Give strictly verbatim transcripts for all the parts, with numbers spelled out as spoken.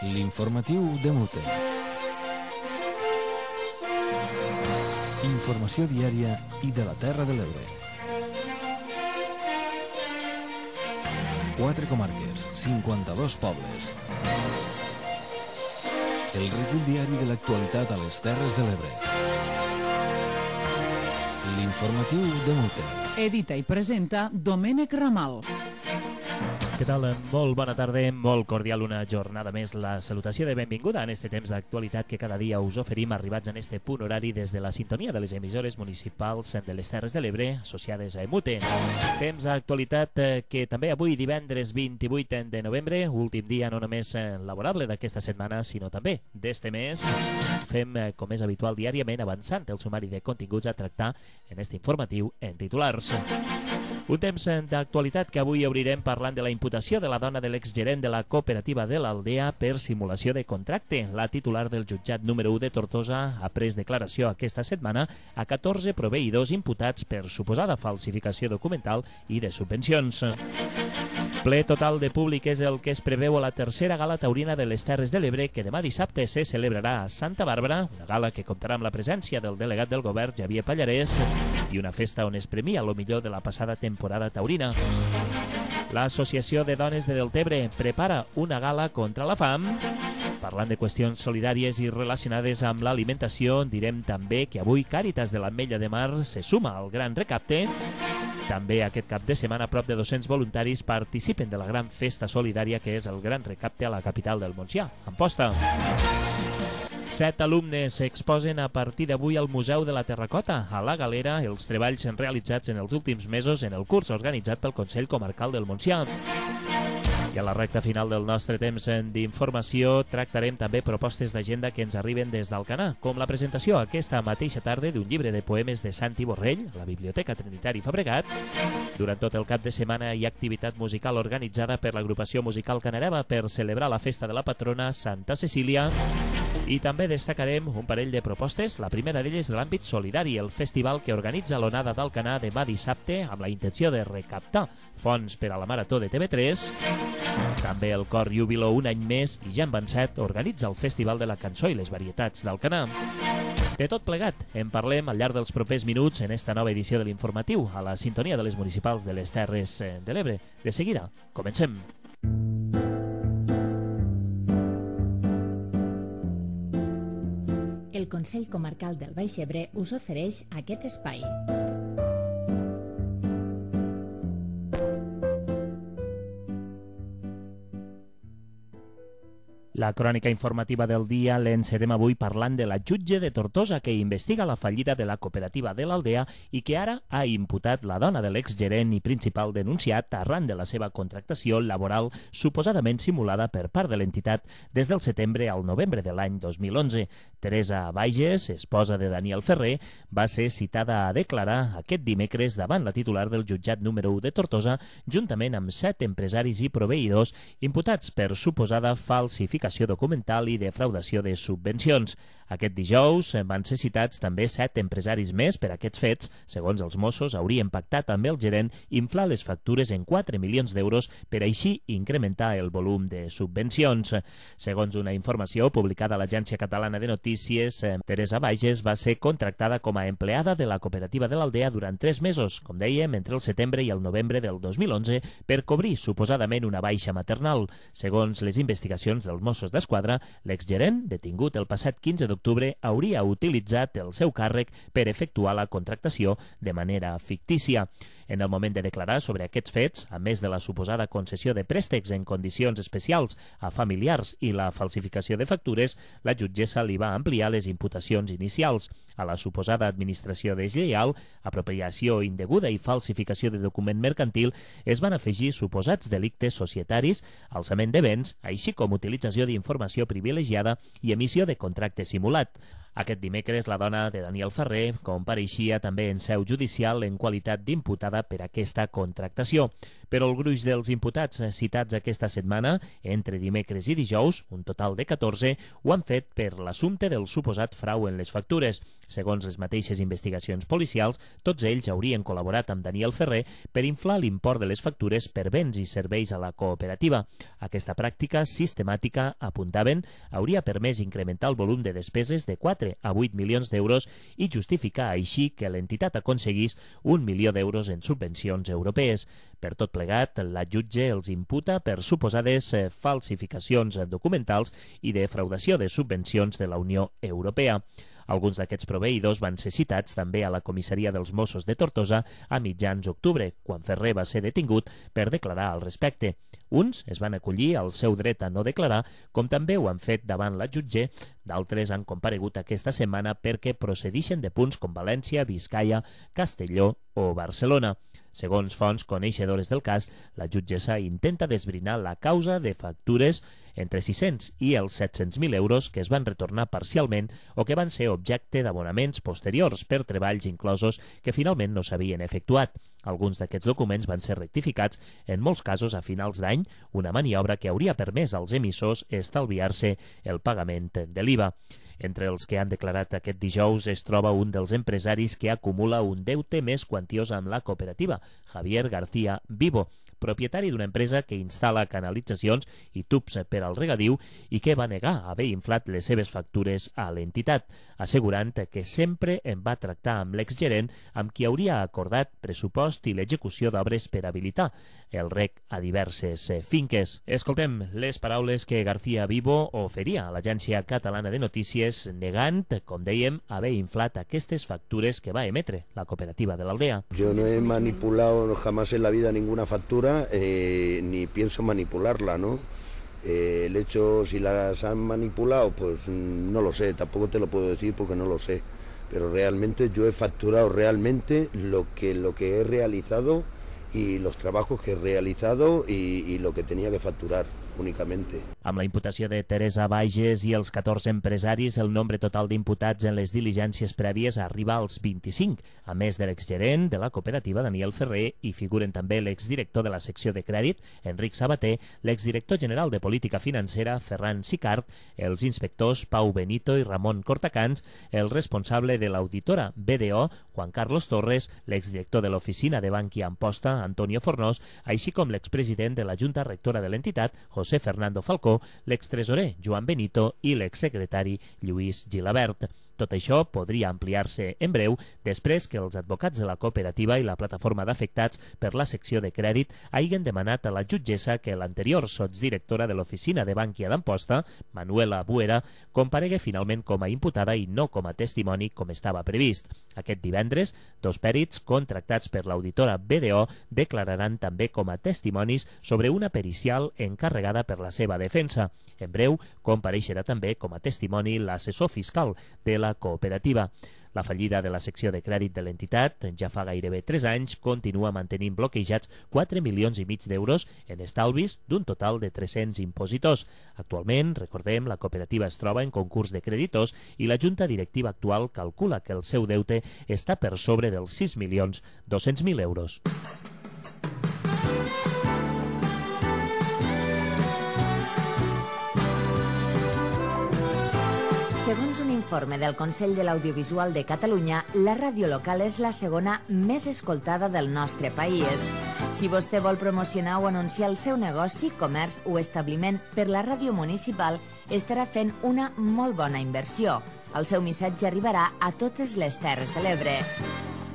L'informatiu de Mute. Informació diària i de la Terra de l'Ebre. Quatre comarques, cinquanta-dos pobles. El recull diari de l'actualitat a les Terres de l'Ebre. L'informatiu de Mute. Edita i presenta Domènec Ramal. Què tal? Molt bona tarda, molt cordial una jornada més. La salutació de benvinguda en este temps d'actualitat que cada dia us oferim arribats en este punt horari des de la sintonia de les emissores municipals de les Terres de l'Ebre associades a Emute. Temps d'actualitat que també avui divendres vint-i-vuit de novembre, últim dia no només laborable d'aquesta setmana sinó també d'este mes, fem com és habitual diàriament avançant el sumari de continguts a tractar en este informatiu en titulars. Un temps d'actualitat que avui obrirem parlant de la imputació de la dona de l'exgerent de la cooperativa de l'Aldea per simulació de contracte. La titular del jutjat número u de Tortosa ha pres declaració aquesta setmana a catorze proveïdors imputats per suposada falsificació documental i de subvencions. Ple total de públic és el que es preveu a la tercera gala taurina de les Terres de l'Ebre, que demà dissabte se celebrarà a Santa Bàrbara, una gala que comptarà amb la presència del delegat del govern, Xavier Pallarès, i una festa on es premia lo millor de la passada temporada taurina. L'Associació de Dones de Deltebre prepara una gala contra la fam. Parlant de qüestions solidàries i relacionades amb l'alimentació, direm també que avui Càritas de l'Ametlla de Mar se suma al gran recapte. També aquest cap de setmana prop de dos-cents voluntaris participen de la gran festa solidària que és el gran recapte a la capital del Montsià, Amposta. Set alumnes s'exposen a partir d'avui al Museu de la Terracota, a la Galera, els treballs realitzats en els últims mesos en el curs organitzat pel Consell Comarcal del Montsià. I a la recta final del nostre temps d'informació tractarem també propostes d'agenda que ens arriben des d'Alcanar, com la presentació aquesta mateixa tarda d'un llibre de poemes de Santi Borrell a la Biblioteca Trinitari Fabregat. Durant tot el cap de setmana hi ha activitat musical organitzada per l'agrupació musical Canareva per celebrar la festa de la patrona Santa Cecília. I també destacarem un parell de propostes, la primera d'elles de l'àmbit solidari, el festival que organitza l'Onada d'Alcanar demà dissabte amb la intenció de recaptar fons per a la Marató de T V tres. També el Cor Júbilo, un any més, i ja en van set, organitza el Festival de la Cançó i les Varietats d'Alcanar. De tot plegat, en parlem al llarg dels propers minuts en esta nova edició de l'informatiu, a la sintonia de les municipals de les Terres de l'Ebre. De seguida, comencem. El Consell Comarcal del Baix Ebre us ofereix aquest espai. La crònica informativa del dia l'encerem avui parlant de la jutge de Tortosa que investiga la fallida de la cooperativa de l'Aldea i que ara ha imputat la dona de l'exgerent i principal denunciat arran de la seva contractació laboral suposadament simulada per part de l'entitat des del setembre al novembre de l'any dos mil onze. Teresa Bages, esposa de Daniel Ferrer, va ser citada a declarar aquest dimecres davant la titular del jutjat número u de Tortosa juntament amb set empresaris i proveïdors imputats per suposada falsificació documental i defraudació de subvencions. Aquest dijous van ser citats també set empresaris més per aquests fets. Segons els Mossos, haurien pactat amb el gerent inflar les factures en quatre milions d'euros per així incrementar el volum de subvencions. Segons una informació publicada a l'Agència Catalana de Notícies, Teresa Bages va ser contractada com a empleada de la cooperativa de l'Aldea durant tres mesos, com dèiem, entre el setembre i el novembre del dos mil onze, per cobrir suposadament una baixa maternal. Segons les investigacions dels Mossos d'Esquadra, l'exgerent, detingut el passat quinze d'octubre, hauria utilitzat el seu càrrec per efectuar la contractació de manera fictícia. En el moment de declarar sobre aquests fets, a més de la suposada concessió de préstecs en condicions especials a familiars i la falsificació de factures, la jutgessa li va ampliar les imputacions inicials. A la suposada administració deslleial, apropiació indeguda i falsificació de document mercantil es van afegir suposats delictes societaris, alçament de béns, així com utilització d'informació privilegiada i emissió de contracte simulat. Aquest dimecres, la dona de Daniel Ferrer compareixia també en seu judicial en qualitat d'imputada per aquesta contractació. Però el gruix dels imputats citats aquesta setmana, entre dimecres i dijous, un total de catorze, ho han fet per l'assumpte del suposat frau en les factures. Segons les mateixes investigacions policials, tots ells haurien col·laborat amb Daniel Ferrer per inflar l'import de les factures per béns i serveis a la cooperativa. Aquesta pràctica sistemàtica, apuntaven, hauria permès incrementar el volum de despeses de quatre a vuit milions d'euros i justificar així que l'entitat aconseguís un milió d'euros en subvencions europees. Per tot plegat, la jutge els imputa per suposades falsificacions documentals i defraudació de subvencions de la Unió Europea. Alguns d'aquests proveïdors van ser citats també a la comissaria dels Mossos de Tortosa a mitjans d'octubre, quan Ferrer va ser detingut per declarar al respecte. Uns es van acollir al seu dret a no declarar, com també ho han fet davant la jutge. D'altres han comparegut aquesta setmana perquè procedixen de punts com València, Biscaia, Castelló o Barcelona. Segons fonts coneixedores del cas, la jutgessa intenta desbrinar la causa de factures entre sis-cents i els set-cents mil euros que es van retornar parcialment o que van ser objecte d'abonaments posteriors per treballs inclosos que finalment no s'havien efectuat. Alguns d'aquests documents van ser rectificats, en molts casos a finals d'any, una maniobra que hauria permès als emissors estalviar-se el pagament de l'I V A. Entre els que han declarat aquest dijous es troba un dels empresaris que acumula un deute més quantiós amb la cooperativa, Javier García Vivo, propietari d'una empresa que instal·la canalitzacions i tubs per al regadiu i que va negar haver inflat les seves factures a l'entitat, assegurant que sempre en va tractar amb l'exgerent amb qui hauria acordat pressupost i l'execució d'obres per habilitar el rec a diverses finques. Escoltem les paraules que García Vivo oferia a l'Agència Catalana de Notícies negant, com dèiem, haver inflat aquestes factures que va emetre la cooperativa de l'Aldea. Yo no he manipulado jamás en la vida ninguna factura, eh, ni pienso manipularla, ¿no? Eh, el hecho, si las han manipulado, pues no lo sé, tampoco te lo puedo decir porque no lo sé. Pero realmente yo he facturado realmente lo que, lo que he realizado y los trabajos que he realizado y, y lo que tenía que facturar únicamente. Amb la imputació de Teresa Bages i els catorze empresaris, el nombre total d'imputats en les diligències prèvies arriba als vint-i-cinc, a més de l'exgerent de la cooperativa Daniel Ferrer, i figuren també l'exdirector de la secció de crèdit, Enric Sabater, l'exdirector general de política financera, Ferran Sicart, els inspectors Pau Benito i Ramon Cortacans, el responsable de l'auditora B D O, Juan Carlos Torres, l'exdirector de l'oficina de Bankia Amposta, Antonio Fornós, així com l'expresident de la Junta Rectora de l'entitat, José Fernando Falcó, l'extresorer Joan Benito i l'exsecretari Lluís Gilabert. Tot això podria ampliar-se en breu després que els advocats de la cooperativa i la plataforma d'afectats per la secció de crèdit hagin demanat a la jutgessa que l'anterior sotsdirectora de l'oficina de Bankia d'Amposta, Manuela Buera, comparegui finalment com a imputada i no com a testimoni com estava previst. Aquest divendres, dos pèrits contractats per l'auditora B D O declararan també com a testimonis sobre una pericial encarregada per la seva defensa. En breu, compareixerà també com a testimoni l'assessor fiscal de la cooperativa. La fallida de la secció de crèdit de l'entitat, ja fa gairebé tres anys, continua mantenint bloquejats quatre milions i mig d'euros en estalvis d'un total de tres-cents impositors. Actualment, recordem, la cooperativa es troba en concurs de creditors i la junta directiva actual calcula que el seu deute està per sobre dels sis milions dos-cents mil euros. Segons un informe del Consell de l'Audiovisual de Catalunya, la ràdio local és la segona més escoltada del nostre país. Si vostè vol promocionar o anunciar el seu negoci, comerç o establiment per la ràdio municipal, estarà fent una molt bona inversió. El seu missatge arribarà a totes les Terres de l'Ebre.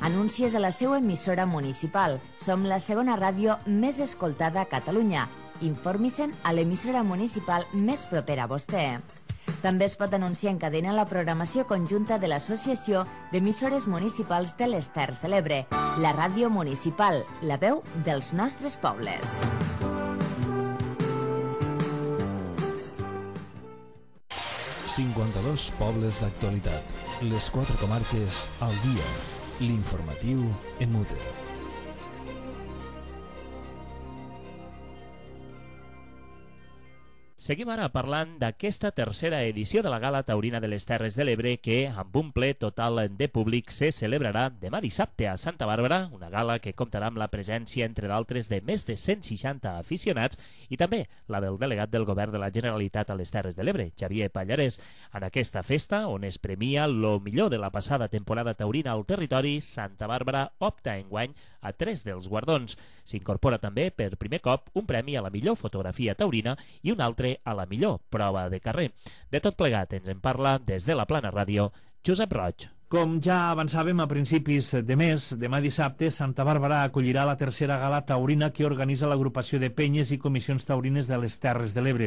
Anuncies a la seva emissora municipal. Som la segona ràdio més escoltada a Catalunya. Informi-se'n a l'emissora municipal més propera a vostè. També es pot anunciar en cadena la programació conjunta de l'Associació d'Emissores Municipals de les Terres de l'Ebre, la ràdio municipal, la veu dels nostres pobles. cinquanta-dos pobles d'actualitat. Les quatre comarques al dia. L'informatiu en Muter. Seguim ara parlant d'aquesta tercera edició de la Gala Taurina de les Terres de l'Ebre que, amb un ple total de públic, se celebrarà demà dissabte a Santa Bàrbara, una gala que comptarà amb la presència, entre d'altres, de més de cent seixanta aficionats i també la del delegat del Govern de la Generalitat a les Terres de l'Ebre, Xavier Pallarès. En aquesta festa, on es premia lo millor de la passada temporada taurina al territori, Santa Bàrbara opta enguany a tres dels guardons. S'incorpora també, per primer cop, un premi a la millor fotografia taurina i un altre a la millor prova de carrer. De tot plegat ens en parla des de la Plana Ràdio Josep Roig. Com ja avançàvem a principis de mes, demà dissabte Santa Bàrbara acollirà la tercera gala taurina que organitza l'agrupació de penyes i comissions taurines de les Terres de l'Ebre.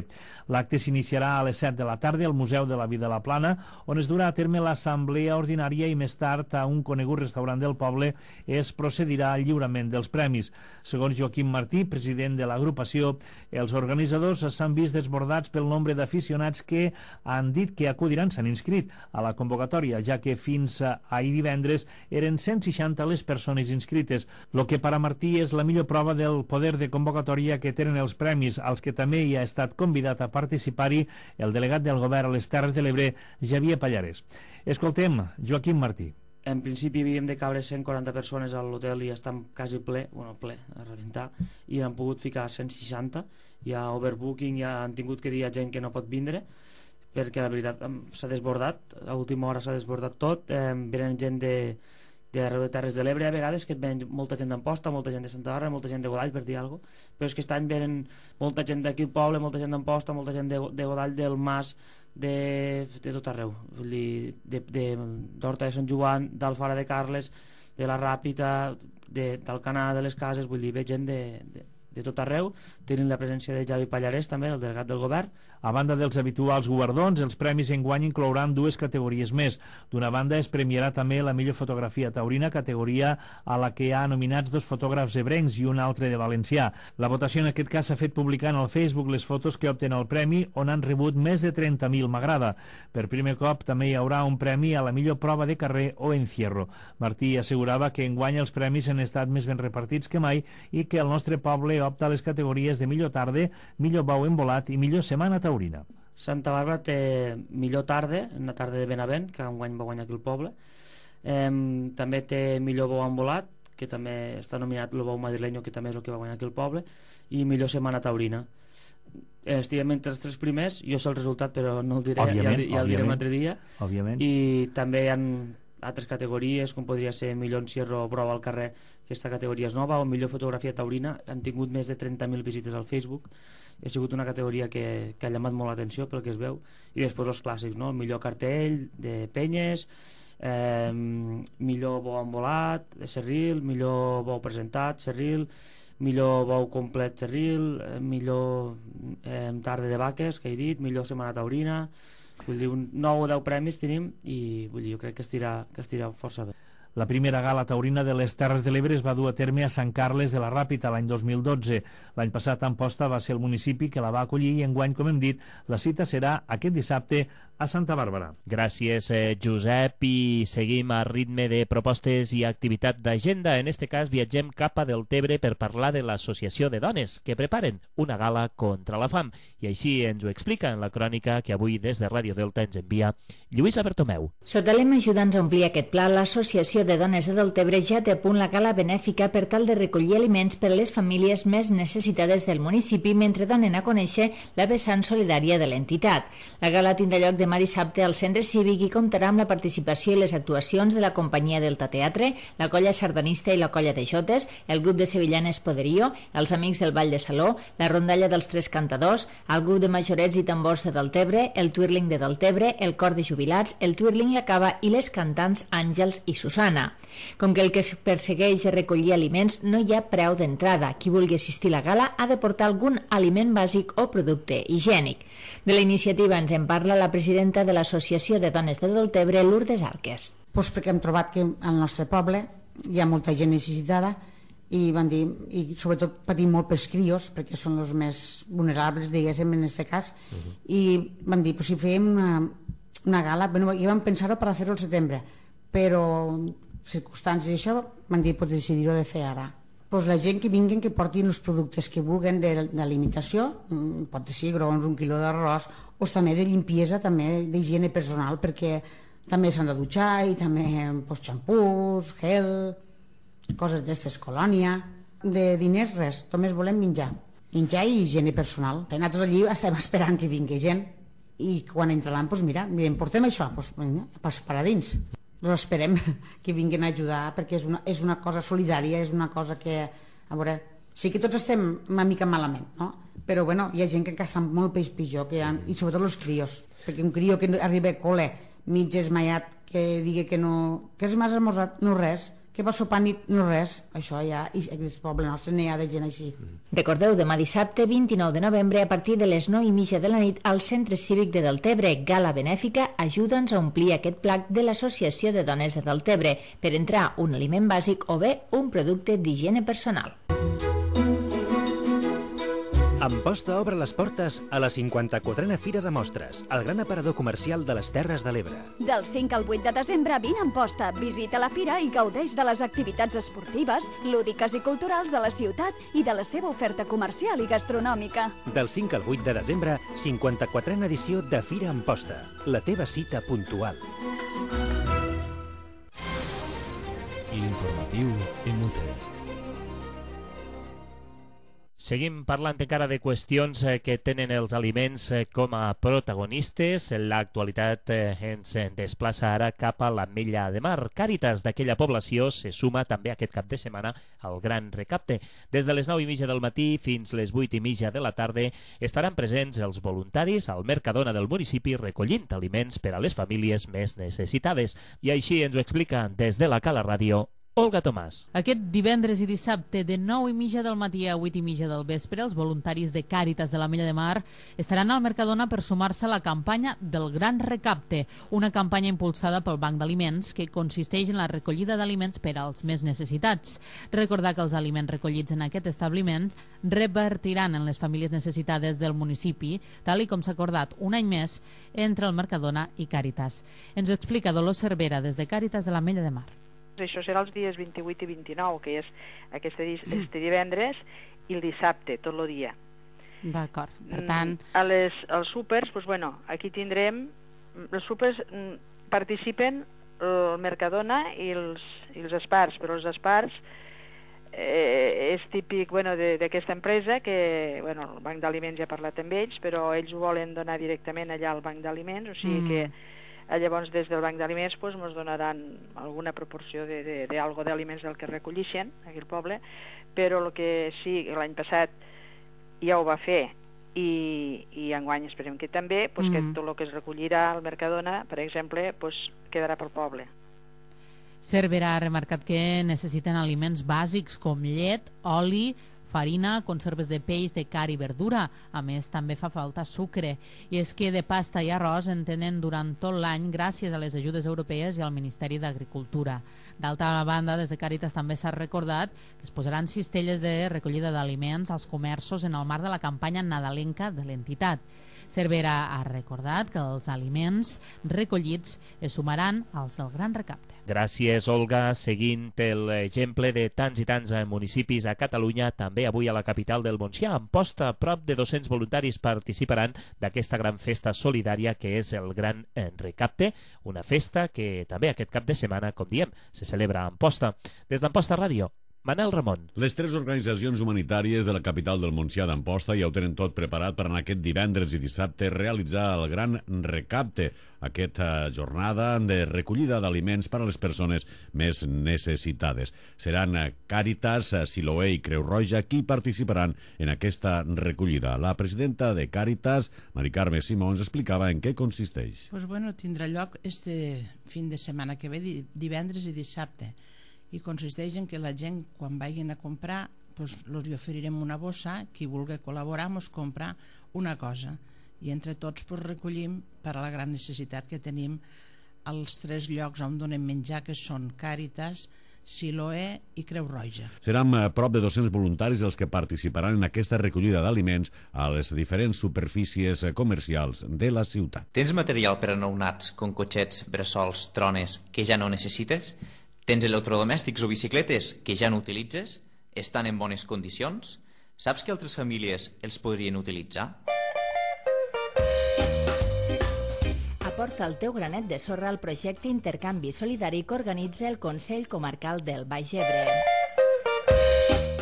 L'acte s'iniciarà a les set de la tarda al Museu de la Vida de la Plana, on es durà a terme l'assemblea ordinària i més tard a un conegut restaurant del poble es procedirà al lliurament dels premis. Segons Joaquim Martí, president de l'agrupació, els organitzadors s'han vist desbordats pel nombre d'aficionats que han dit que acudiran, s'han inscrit a la convocatòria, ja que fins ahir divendres eren cent seixanta les persones inscrites, el que per a Martí és la millor prova del poder de convocatòria que tenen els premis, als que també hi ha estat convidat a participar-hi el delegat del Govern a les Terres de l'Ebre, Xavier Pallarès. Escoltem Joaquim Martí. En principi havíem de cabre cent quaranta persones a l'hotel i estem quasi ple, bueno, ple, a rebentar, i han pogut ficar cent seixanta. Hi ha overbooking, ja han tingut que dir a gent que no pot vindre, perquè la veritat s'ha desbordat, a última hora s'ha desbordat tot, eh, venen gent de, de arreu de Terres de l'Ebre a vegades, que venen molta gent d'Amposta, molta gent de Santa Bàrbara, molta gent de Godall, per dir alguna cosa, però és que aquest any venen molta gent d'aquí al poble, molta gent d'Amposta, molta gent de, de Godall, del Mas, de, de tot arreu, vull dir, d'Horta de, de Sant Joan, d'Alfara de Carles, de la Ràpita, de, d'Alcanar, de les Cases, vull dir, ve gent de, de, de tot arreu, tenint la presència de Xavi Pallarès també, el delegat del govern. A banda dels habituals guardons, els premis enguany inclouran dues categories més. D'una banda es premiarà també la millor fotografia taurina, categoria a la que hi ha nominats dos fotògrafs ebrencs i un altre de valencià. La votació en aquest cas s'ha fet publicant al Facebook les fotos que opten el premi, on han rebut més de trenta mil m'agrada. Per primer cop també hi haurà un premi a la millor prova de carrer o encierro. Martí assegurava que enguany els premis han estat més ben repartits que mai i que el nostre poble opta a les categories de millor tarda, millor bou embolat i millor setmana taurina. Santa Bàrbara té millor tarda, una tarda de Benavent, que enguany va guanyar aquí el poble. Eh, també té millor bou embolat, que també està nominat el bou madrileño, que també és el que va guanyar aquí el poble, i millor setmana taurina. Eh, estiguem entre els tres primers, jo sé el resultat però no el diré, òbviament, ja, ja el diré un altre dia. Òbviament. I també hi ha altres categories, com podria ser millor encierro o prova al carrer, que aquesta categoria és nova, o millor fotografia taurina. Han tingut més de trenta mil visites al Facebook, ha sigut una categoria que, que ha llamat molt l'atenció pel que es veu. I després els clàssics, no? El millor cartell de penyes, eh, millor bou embolat de Cerril, millor bou presentat Cerril, millor bou complet Cerril, eh, millor eh, tarda de vaques, que he dit, millor setmana taurina. Vull dir, un nou o deu premis tenim i vull dir, jo crec que estirà, que estirà força bé. La primera gala taurina de les Terres de l'Ebre es va dur a terme a Sant Carles de la Ràpita l'any dos mil dotze. L'any passat Amposta va ser el municipi que la va acollir i enguany, com hem dit, la cita serà aquest dissabte a Santa Bàrbara. Gràcies, eh, Josep, i seguim a ritme de propostes i activitat d'agenda. En este cas viatgem cap a Deltebre per parlar de l'Associació de Dones, que preparen una gala contra la fam. I així ens ho explica en la crònica que avui des de Ràdio Delta ens envia Lluïsa Bertomeu. Sota lema ajudant a omplir aquest pla, l'Associació de Dones de Deltebre ja té a punt la gala benèfica per tal de recollir aliments per a les famílies més necessitades del municipi mentre donen a conèixer la vessant solidària de l'entitat. La gala tindrà lloc demà dissabte al Centre Cívic i comptarà amb la participació i les actuacions de la companyia Delta Teatre, la colla sardanista i la colla de jotes, el grup de sevillanes Poderío, els amics del Ball de Saló, la rondalla dels Tres Cantadors, el grup de majorets i tambors de Deltebre, el Twirling de Deltebre, el cor de jubilats, el Twirling La Cava i les cantants Àngels i Susana. Com que el que es persegueix és recollir aliments, no hi ha preu d'entrada. Qui vulgui assistir a la gala ha de portar algun aliment bàsic o producte higiènic. De la iniciativa ens en parla la presidenta de l'Associació de Dones de Deltebre, Lourdes Arques. Pues perquè hem trobat que al nostre poble hi ha molta gent necessitada i van dir, i sobretot patim molt pels crios, perquè són els més vulnerables, diguéssim, en aquest cas, uh-huh. I van dir, pues si fèiem una, una gala, bueno, i vam pensar-ho per fer-ho al setembre, però circumstàncies i això van dir, pues decidir-ho de fer ara. pues la gent que vinguin, que portin els productes que vulguen d'alimentació, pot ser grons, un quilo d'arròs, o també de limpiesa, també d'higiene personal, perquè també s'han de dutxar i també pues, xampús, gel, coses d'estes, colònia. De diners res, només volem menjar. Menjar i higiene personal. Nosaltres allí estem esperant que vingui gent i quan entraran, doncs mira, diem, portem això, doncs vinga, pas per a dins. Doncs esperem que vinguin a ajudar perquè és una, és una cosa solidària, és una cosa que, a veure, sí que tots estem una mica malament, no? Però bueno, hi ha gent que encara està molt peix pitjor, que han, i sobretot els crios, perquè un crio que arriba a col·le mig esmaiat, que digui que no, que és més esmorzat, no res, que va sopar nit, no res, això ja, i el poble nostre n'hi ha de gent així. Recordeu, demà dissabte, vint-i-nou de novembre, a partir de les nou i mitja de la nit, al Centre Cívic de Deltebre, gala benèfica, ajuda'ns a omplir aquest plat de l'Associació de Dones de Deltebre, per entrar un aliment bàsic o bé un producte d'higiene personal. Amposta obre les portes a la cinquanta-quatrena Fira de Mostres, el gran aparador comercial de les Terres de l'Ebre. Del cinc al vuit de desembre, vine a Amposta, visita la fira i gaudeix de les activitats esportives, lúdiques i culturals de la ciutat i de la seva oferta comercial i gastronòmica. Del cinc al vuit de desembre, cinquanta-quatrena edició de Fira Amposta, la teva cita puntual. L'informatiu en Muter. Seguim parlant encara de qüestions que tenen els aliments com a protagonistes. L'actualitat ens desplaça ara cap a l'Ametlla de Mar. Càritas d'aquella població se suma també aquest cap de setmana al gran recapte. Des de les nou i mitja del matí fins les vuit i mitja de la tarda estaran presents els voluntaris al Mercadona del municipi recollint aliments per a les famílies més necessitades. I així ens ho explica des de la Cala Ràdio Olga Tomàs. Aquest divendres i dissabte de nou i mitja del matí a vuit i mitja del vespre, els voluntaris de Càritas de l'Ametlla de Mar estaran al Mercadona per sumar-se a la campanya del Gran Recapte, una campanya impulsada pel Banc d'Aliments que consisteix en la recollida d'aliments per als més necessitats. Recordar que els aliments recollits en aquest establiment revertiran en les famílies necessitades del municipi, tal i com s'ha acordat un any més entre el Mercadona i Càritas. Ens ho explica Dolors Cervera des de Càritas de l'Ametlla de Mar. Això serà els dies vint-i-vuit i vint-i-nou, que és aquest, este divendres, i el dissabte, tot el dia. D'acord, per tant... A les, als súpers, doncs, bueno, aquí tindrem... Els súpers participen el Mercadona i els, i els Espars, però els Espars eh, és típic bueno, d'aquesta empresa, que bueno, el Banc d'Aliments ja ha parlat amb ells, però ells ho volen donar directament allà al Banc d'Aliments, o sigui mm. que llavors des del Banc d'Aliments pues, ens donaran alguna proporció d'algo d'aliments del que recollixen aquí al poble, però el que sí, l'any passat ja ho va fer i, i enguany esperem que també, pues, mm. que tot el que es recollirà al Mercadona, per exemple, pues, quedarà pel poble. Cervera ha remarcat que necessiten aliments bàsics com llet, oli, farina, conserves de peix, de carn i verdura. A més, també fa falta sucre. I és que de pasta i arròs en tenen durant tot l'any gràcies a les ajudes europees i al Ministeri d'Agricultura. D'altra banda, des de Càritas també s'ha recordat que es posaran cistelles de recollida d'aliments als comerços en el marc de la campanya nadalenca de l'entitat. Cervera ha recordat que els aliments recollits es sumaran als del Gran Recapte. Gràcies, Olga. Seguint l'exemple de tants i tants municipis a Catalunya, també avui a la capital del Montsià, a Amposta, prop de dos-cents voluntaris participaran d'aquesta gran festa solidària que és el Gran Recapte, una festa que també aquest cap de setmana, com diem, se celebra a Amposta. Des d'Amposta Ràdio, Manel Ramon. Les tres organitzacions humanitàries de la capital del Montsià d'Amposta ja ho tenen tot preparat per anar aquest divendres i dissabte realitzar el Gran Recapte, aquesta jornada de recollida d'aliments per a les persones més necessitades. Seran Càritas, Siloé i Creu Roja qui participaran en aquesta recollida. La presidenta de Càritas, Mari Carme Simons, explicava en què consisteix. Pues bueno, tindrà lloc este fin de setmana que ve, divendres i dissabte, i consisteix en que la gent, quan vagin a comprar, pues, els hi oferirem una bossa, qui vulgui col·laborar ens comprar una cosa, i entre tots pues, recollim per a la gran necessitat que tenim als tres llocs on donem menjar, que són Càritas, Siloé i Creu Roja. Seran a prop de dos-cents voluntaris els que participaran en aquesta recollida d'aliments a les diferents superfícies comercials de la ciutat. Tens material per a nounats, com cotxets, bressols, trones, que ja no necessites? Tens electrodomèstics o bicicletes que ja no utilitzes? Estan en bones condicions? Saps que altres famílies els podrien utilitzar? Aporta el teu granet de sorra al projecte Intercanvi Solidari que organitza el Consell Comarcal del Baix Ebre.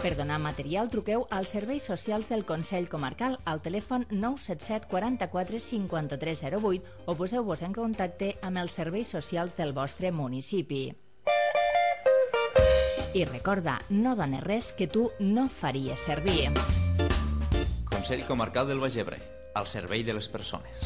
Per donar material, truqueu als serveis socials del Consell Comarcal al telèfon nou set set quaranta-quatre cinquanta-tres zero vuit o poseu-vos en contacte amb els serveis socials del vostre municipi. I recorda, no dones res que tu no faries servir. Consell Comarcal del Baix Ebre, al servei de les persones.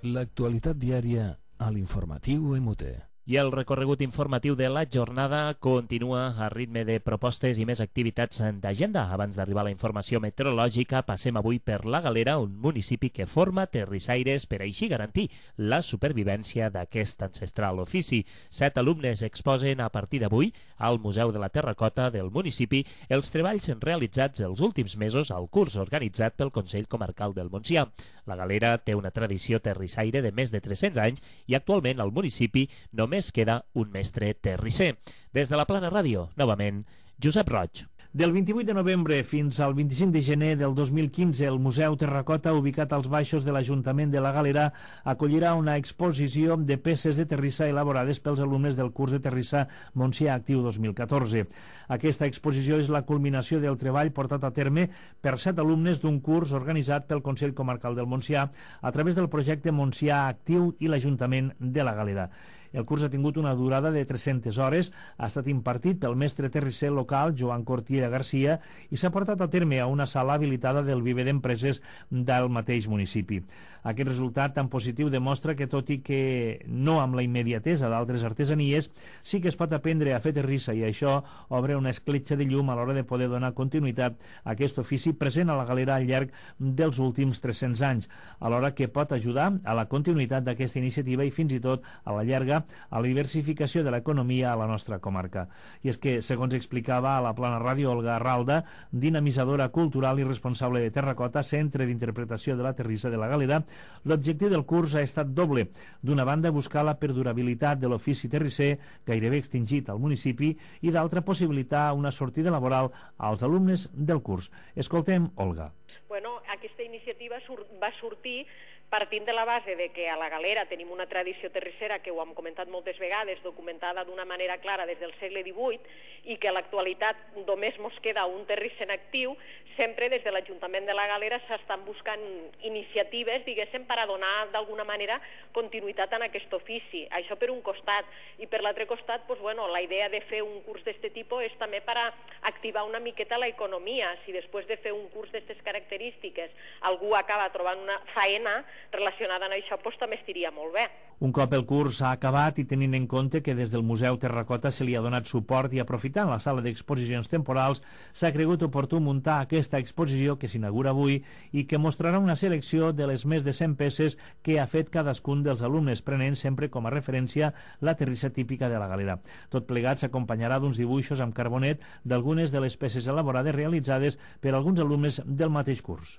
L'actualitat diària a l'informatiu M U T. I el recorregut informatiu de la jornada continua a ritme de propostes i més activitats d'agenda. Abans d'arribar a la informació meteorològica, passem avui per la Galera, un municipi que forma terrissaires per així garantir la supervivència d'aquest ancestral ofici. Set alumnes exposen a partir d'avui al Museu de la Terracota del municipi els treballs realitzats els últims mesos al curs organitzat pel Consell Comarcal del Montsià. La Galera té una tradició terrissaire de més de tres-cents anys i actualment al municipi només queda un mestre terrisser. Des de la Plana Ràdio, novament, Josep Roig. Del vint-i-vuit de novembre fins al vint-i-cinc de gener del dos mil quinze, el Museu Terracota, ubicat als baixos de l'Ajuntament de la Galera, acollirà una exposició de peces de terrissa elaborades pels alumnes del curs de terrissa Montsià Actiu dos mil catorze. Aquesta exposició és la culminació del treball portat a terme per set alumnes d'un curs organitzat pel Consell Comarcal del Montsià a través del projecte Montsià Actiu i l'Ajuntament de la Galera. El curs ha tingut una durada de tres-centes hores, ha estat impartit pel mestre terrisser local Joan Cortiera Garcia i s'ha portat a terme a una sala habilitada del viver d'empreses del mateix municipi. Aquest resultat tan positiu demostra que, tot i que no amb la immediatesa d'altres artesanies, sí que es pot aprendre a fer terrissa i això obre una escletxa de llum a l'hora de poder donar continuïtat a aquest ofici present a la Galera al llarg dels últims tres-cents anys, alhora que pot ajudar a la continuïtat d'aquesta iniciativa i fins i tot a la llarga a la diversificació de l'economia a la nostra comarca. I és que, segons explicava a la Plana Ràdio Olga Arralda, dinamitzadora cultural i responsable de Terracota, centre d'interpretació de la terrissa de la Galera, l'objectiu del curs ha estat doble. D'una banda, buscar la perdurabilitat de l'ofici terrisser, gairebé extingit al municipi, i d'altra, possibilitar una sortida laboral als alumnes del curs. Escoltem Olga. Bueno, aquesta iniciativa sur va sortir partint de la base de que a la Galera tenim una tradició terrissera que ho hem comentat moltes vegades, documentada d'una manera clara des del segle divuit, i que a l'actualitat només mos queda un terrisser en actiu, sempre des de l'Ajuntament de la Galera s'estan buscant iniciatives, diguéssim, per a donar d'alguna manera continuïtat en aquest ofici. Això per un costat. I per l'altre costat, doncs, bueno, la idea de fer un curs d'aquest tipus és també per a activar una miqueta l'economia. Si després de fer un curs d'aquestes característiques algú acaba trobant una faena relacionada amb això, doncs també estiria molt bé. Un cop el curs ha acabat i tenint en compte que des del Museu Terracota se li ha donat suport i aprofitant la sala d'exposicions temporals, s'ha cregut oportú muntar aquesta exposició que s'inaugura avui i que mostrarà una selecció de les més de cent peces que ha fet cadascun dels alumnes, prenent sempre com a referència la terrissa típica de la Galera. Tot plegat s'acompanyarà d'uns dibuixos amb carbonet d'algunes de les peces elaborades realitzades per alguns alumnes del mateix curs.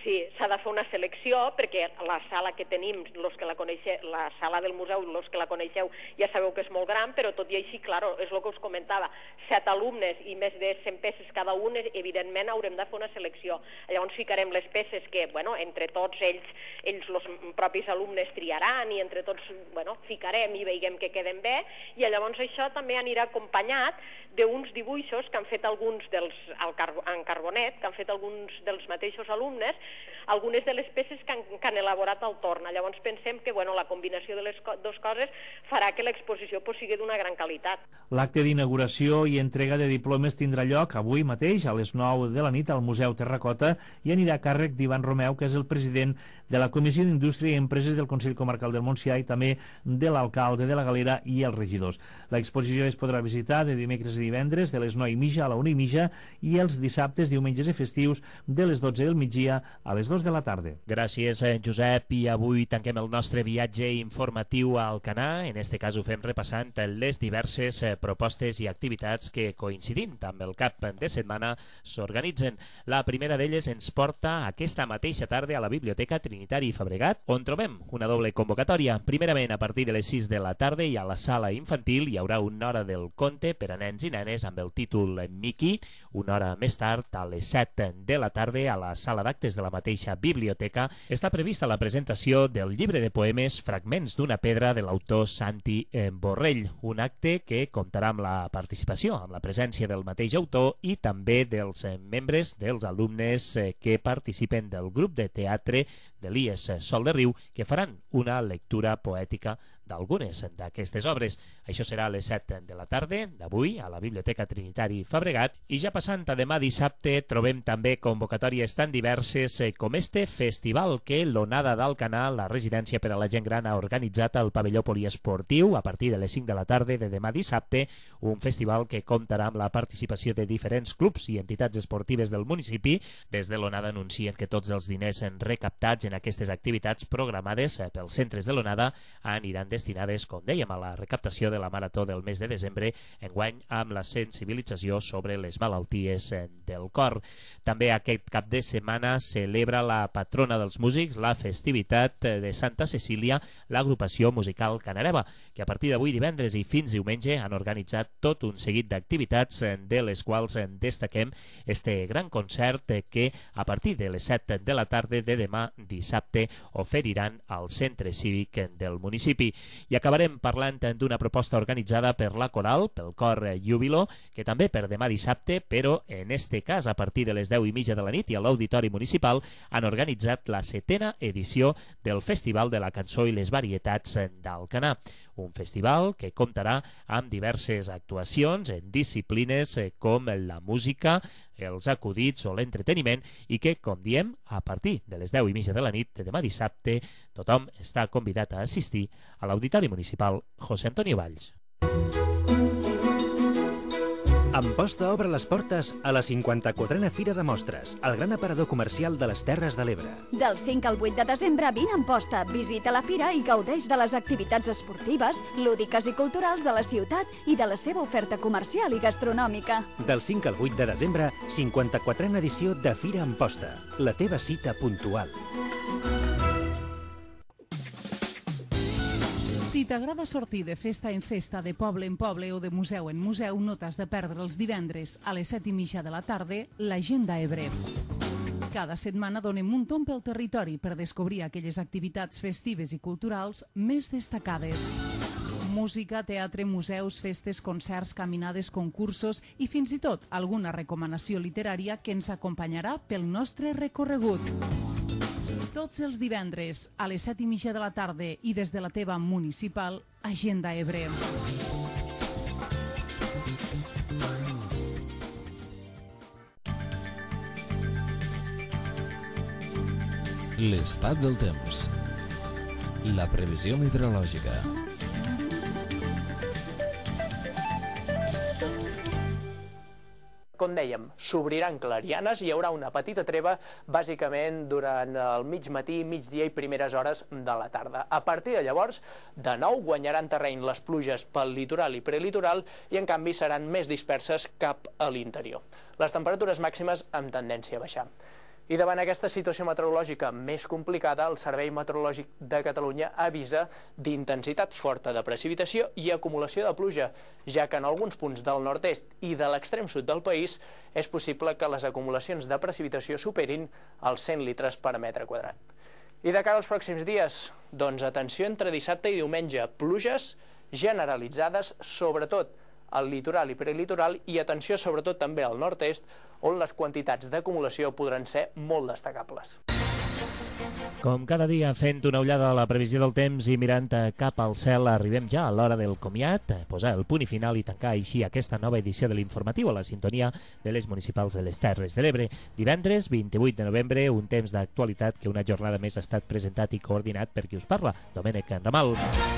Sí, s'ha de fer una selecció, perquè la sala que tenim, los que la coneixeu, la sala del museu, els que la coneixeu, ja sabeu que és molt gran, però tot i així, clar, és el que us comentava, set alumnes i més de cent peces cada un, evidentment haurem de fer una selecció. Llavors ficarem les peces que, bueno, entre tots ells, ells, els propis alumnes triaran i entre tots, bueno, ficarem i veiem que queden bé, i llavors això també anirà acompanyat d'uns dibuixos que han fet alguns dels, en carbonet, que han fet alguns dels mateixos alumnes, algunes de les peces que han, que han elaborat al torn. Llavors pensem que, bueno, la combinació de les co dues coses farà que l'exposició pues, sigui d'una gran qualitat. L'acte d'inauguració i entrega de diplomes tindrà lloc avui mateix a les nou de la nit al Museu Terracota i anirà a càrrec d'Ivan Romeu, que és el president de la Comissió d'Indústria i Empreses del Consell Comarcal del Montsià i també de l'alcalde de la Galera i els regidors. L'exposició es podrà visitar de dimecres i divendres de les nou i mitja a la una i mitja i els dissabtes, diumenges i festius de les dotze del migdia a les dos de la tarda. Gràcies, Josep, i avui tanquem el nostre viatge informatiu al Canà. En este cas ho fem repassant les diverses propostes i activitats que, coincidint amb el cap de setmana, s'organitzen. La primera d'elles ens porta aquesta mateixa tarda a la Biblioteca Trinitat Trinitari Fabregat, on trobem una doble convocatòria. Primerament, a partir de les sis de la tarda i a la sala infantil hi haurà una hora del conte per a nens i nenes amb el títol Mickey. Una hora més tard, a les set de la tarda, a la sala d'actes de la mateixa biblioteca, està prevista la presentació del llibre de poemes Fragments d'una pedra de l'autor Santi Borrell, un acte que comptarà amb la participació, amb la presència del mateix autor i també dels membres, dels alumnes que participen del grup de teatre de l'I E S Sol de Riu, que faran una lectura poètica d'algunes d'aquestes obres. Això serà a les set de la tarda d'avui a la Biblioteca Trinitari Fabregat, i ja passant a demà dissabte trobem també convocatòries tan diverses com este festival que l'Onada d'Alcanar, la residència per a la gent gran, ha organitzat al pavelló poliesportiu a partir de les cinc de la tarda de demà dissabte, un festival que comptarà amb la participació de diferents clubs i entitats esportives del municipi. Des de l'Onada anuncien que tots els diners recaptats en aquestes activitats programades pels centres de l'Onada aniran destinades, com dèiem, a la recaptació de la Marató del mes de desembre, enguany amb la sensibilització sobre les malalties del cor. També aquest cap de setmana celebra la patrona dels músics, la festivitat de Santa Cecília, l'agrupació musical Canareva, que a partir d'avui divendres i fins diumenge han organitzat tot un seguit d'activitats, de les quals destaquem este gran concert que a partir de les set de la tarda de demà dissabte oferiran al centre cívic del municipi. I acabarem parlant d'una proposta organitzada per la Coral, pel cor Júbilo, que també per demà dissabte, però en este cas a partir de les deu i mitja de la nit i a l'Auditori Municipal, han organitzat la setena edició del Festival de la Cançó i les Varietats d'Alcanar. Un festival que comptarà amb diverses actuacions en disciplines com la música, els acudits o l'entreteniment, i que, com diem, a partir de les deu i mitja de la nit de demà dissabte, tothom està convidat a assistir a l'Auditori Municipal José Antonio Valls. Amposta obre les portes a la cinquanta-quatrena Fira de Mostres, el gran aparador comercial de les Terres de l'Ebre. Del cinc al vuit de desembre vine a Amposta, visita la fira i gaudeix de les activitats esportives, lúdiques i culturals de la ciutat i de la seva oferta comercial i gastronòmica. Del cinc al vuit de desembre, cinquanta-quatrena edició de Fira Amposta, la teva cita puntual. Si t'agrada sortir de festa en festa, de poble en poble o de museu en museu, no t'has de perdre els divendres a les set i mitja de la tarda l'Agenda Ebre. Cada setmana donem un tomb pel territori per descobrir aquelles activitats festives i culturals més destacades. Música, teatre, museus, festes, concerts, caminades, concursos i fins i tot alguna recomanació literària que ens acompanyarà pel nostre recorregut. Tots els divendres a les set i mitja de la tarda i des de la teva municipal, Agenda Ebre. L'estat del temps. La previsió meteorològica. Com dèiem, s'obriran clarianes i hi haurà una petita treva bàsicament durant el mig matí, migdia i primeres hores de la tarda. A partir de llavors, de nou guanyaran terreny les pluges pel litoral i prelitoral i en canvi seran més disperses cap a l'interior. Les temperatures màximes amb tendència a baixar. I davant aquesta situació meteorològica més complicada, el Servei Meteorològic de Catalunya avisa d'intensitat forta de precipitació i acumulació de pluja, ja que en alguns punts del nord-est i de l'extrem sud del país és possible que les acumulacions de precipitació superin els cent litres per metre quadrat. I de cara als pròxims dies, doncs atenció entre dissabte i diumenge, pluges generalitzades, sobretot al litoral i prelitoral, i atenció sobretot també al nord-est, on les quantitats d'acumulació podran ser molt destacables. Com cada dia, fent una ullada a la previsió del temps i mirant cap al cel, arribem ja a l'hora del comiat, posar el punt i final i tancar així aquesta nova edició de l'informatiu a la sintonia de les municipals de les Terres de l'Ebre. Divendres, vint-i-vuit de novembre, un temps d'actualitat que una jornada més ha estat presentat i coordinat per qui us parla, Domènec Ramal.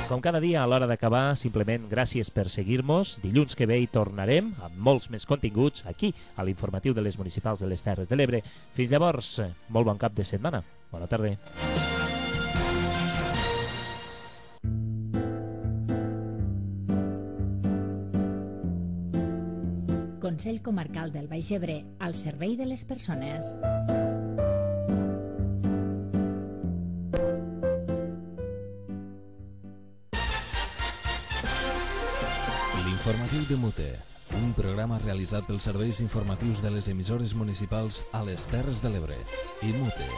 Com cada dia, a l'hora d'acabar, simplement gràcies per seguir-nos. Dilluns que ve hi tornarem amb molts més continguts aquí, a l'informatiu de les municipals de les Terres de l'Ebre. Fins llavors, molt bon cap de setmana. Bona tarda. Consell Comarcal del Baix Ebre, al servei de les persones. L'informatiu de Mute, un programa realitzat pels serveis informatius de les emissores municipals a les Terres de l'Ebre i Mute.